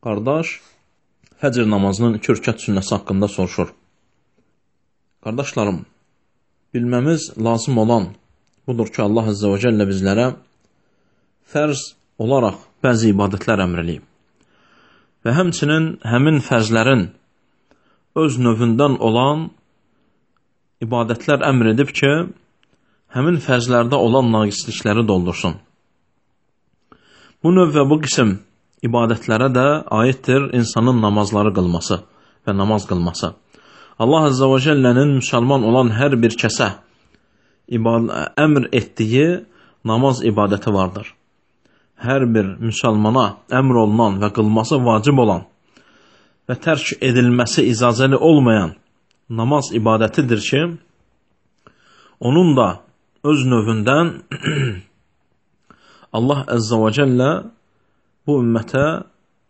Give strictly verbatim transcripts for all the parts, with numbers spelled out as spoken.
Qardaş, fəcr namazının iki rükət sünnəsi haqqında soruşur. Qardaşlarım, bilməmiz lazım olan budur ki, Allah Azze və Cəllə bizlərə fərz olaraq bəzi ibadətlər əmr eləyib. Və həmçinin həmin fərzlərin öz növündən olan ibadətlər əmr edib ki, həmin fərzlərdə olan naqislikləri doldursun. Bu növ və bu qism ibadətlərə də aiddir insanın namazları qılması və namaz qılması. Allah Azze və Cəllənin müsəlman olan hər bir kəsə əmr etdiyi namaz ibadəti vardır. Hər bir müsəlmana əmr olunan və qılması vacib olan və tərk edilməsi icazəli olmayan namaz ibadətidir ki, onun da öz növündən Allah Azze və Cəllə bu ümmətə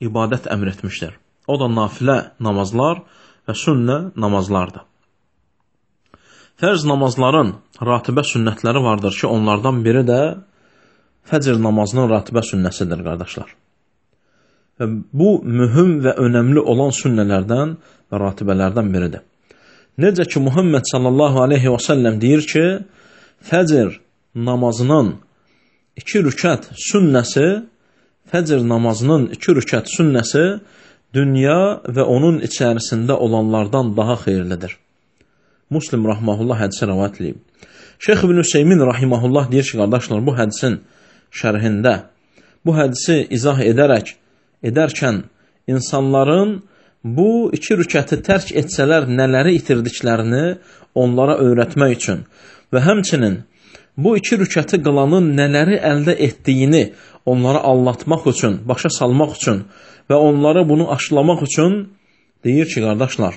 ibadət əmr etmişdir. O da nafilə namazlar və sünnə namazlardır. Fərz namazların ratibə sünnətləri vardır ki, onlardan biri də fəcr namazının ratibə sünnəsidir, qardaşlar. Və bu, mühüm və önəmli olan sünnələrdən və ratibələrdən biridir. Necə ki, Muhammed sallallahu aleyhi və səlləm deyir ki, fəcr namazının iki rükət sünnəsi Fəcr namazının iki rükət sünnəsi dünya və onun içərisində olanlardan daha xeyirlidir. Muslim rahməhullah hədisi rəvayət edib. Şeyx İbn Hüseymin rahiməhullah deyir ki, qardaşlar, bu hədisin şərhində, bu hədisi izah edərək, edərkən insanların bu iki rükəti tərk etsələr nələri itirdiklərini onlara öyrətmək üçün və həmçinin bu iki rükəti qılanın nələri əldə etdiyini onlara anlatmaq üçün, başa salmaq üçün və onlara bunu aşılamaq üçün deyir ki, qardaşlar,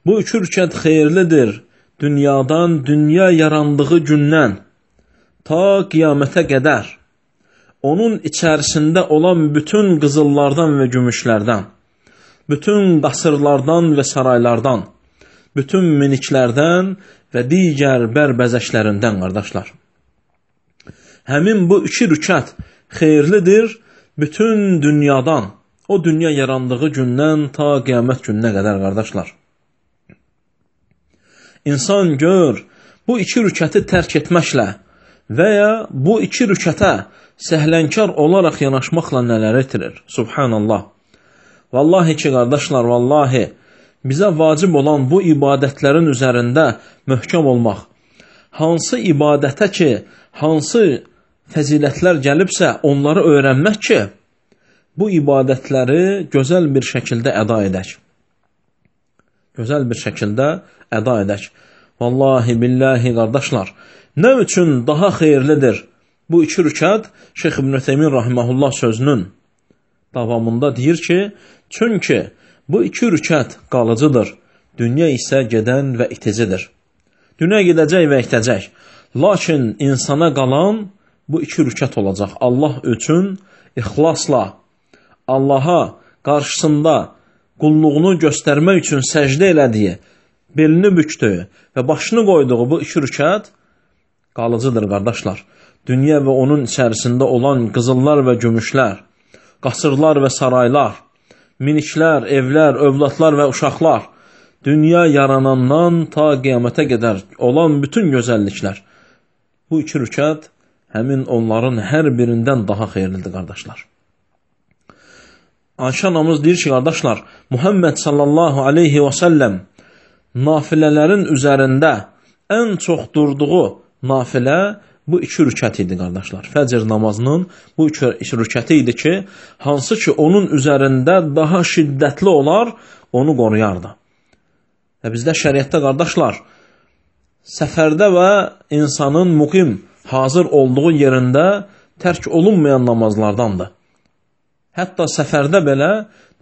bu iki rükət xeyirlidir dünyadan, dünya yarandığı gündən ta qiyamətə qədər onun içərisində olan bütün qızıllardan və gümüşlərdən, bütün qasırlardan və saraylardan, bütün miniklərdən və digər bərbəzəklərindən, qardaşlar. Həmin bu iki rükət xeyirlidir bütün dünyadan, o dünya yarandığı gündən ta qiyamət gününə qədər, qardaşlar. İnsan gör, bu iki rükəti tərk etməklə və ya bu iki rükətə səhlənkar olaraq yanaşmaqla nələr etirir? Subhanallah. Vallahi ki, qardaşlar, vallahi bizə vacib olan bu ibadətlərin üzərində möhkəm olmaq. Hansı ibadətə ki, hansı fəzilətlər gəlibsə, onları öyrənmək ki, bu ibadətləri gözəl bir şəkildə əda edək. Gözəl bir şəkildə əda edək. Vallahi, billahi, qardaşlar, nə üçün daha xeyirlidir bu iki rükət? Şeyx İbn Hüseymin rahiməhullah sözünün davamında deyir ki, çünki bu iki rükət qalıcıdır, dünya isə gedən və iticidir. Dünya gedəcək və itəcək, lakin insana qalan bu iki rükət olacaq. Allah üçün ixlasla, Allaha qarşısında qulluğunu göstərmək üçün səcdə elədiyi, belini büktüyü və başını qoyduğu bu iki rükət qalıcıdır, qardaşlar. Dünya və onun içərisində olan qızıllar və gümüşlər, qasırlar və saraylar, miniklər, evlər, övladlar və uşaqlar, dünya yaranandan ta qiyamətə qədər olan bütün gözəlliklər, bu iki rükət həmin onların hər birindən daha xeyirlidir, qardaşlar. Ayşə anamız deyir ki, qardaşlar, Muhammed sallallahu aleyhi və səlləm nafilələrin üzərində ən çox durduğu nafilə bu iki rükət idi, qardaşlar. Fəcr namazının bu iki rükəti idi ki, hansı ki onun üzərində daha şiddətli olar, onu qoruyardı. Və bizdə şəriətdə, qardaşlar, səfərdə və insanın muqim hazır olduğu yerində tərk olunmayan namazlardandır. Hətta səfərdə belə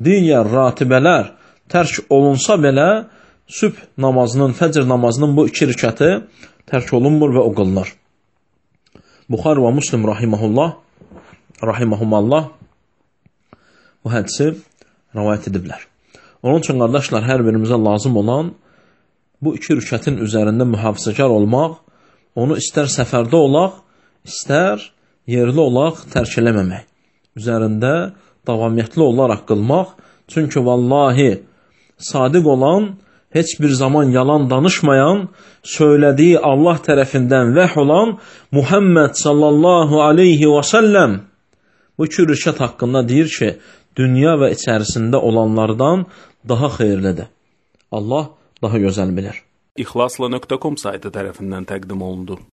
digər ratibələr tərk olunsa belə sübh namazının, fəcr namazının bu iki rükəti tərk olunmur və o qılınır. Buxari və Muslim rahiməhullah, rahiməhumallah bu hədisi rəvayət ediblər. Onun üçün, qardaşlar, hər birimizə lazım olan bu iki rükətin üzərində mühafizəkar olmaq, onu istər səfərdə olaq, istər yerli olaq tərk eləməmək. Üzərində davamiyyətli olaraq qılmaq. Çünki vallahi sadiq olan, heç bir zaman yalan danışmayan, söylədiyi Allah tərəfindən vəh olan Muhammed sallallahu aleyhi və səlləm bu iki rükət haqqında deyir ki, dünya və içərisində olanlardan daha xeyirlidir. Allah daha gözəl bilir. İxlasla nöqtə com saytı tərəfindən təqdim olundu.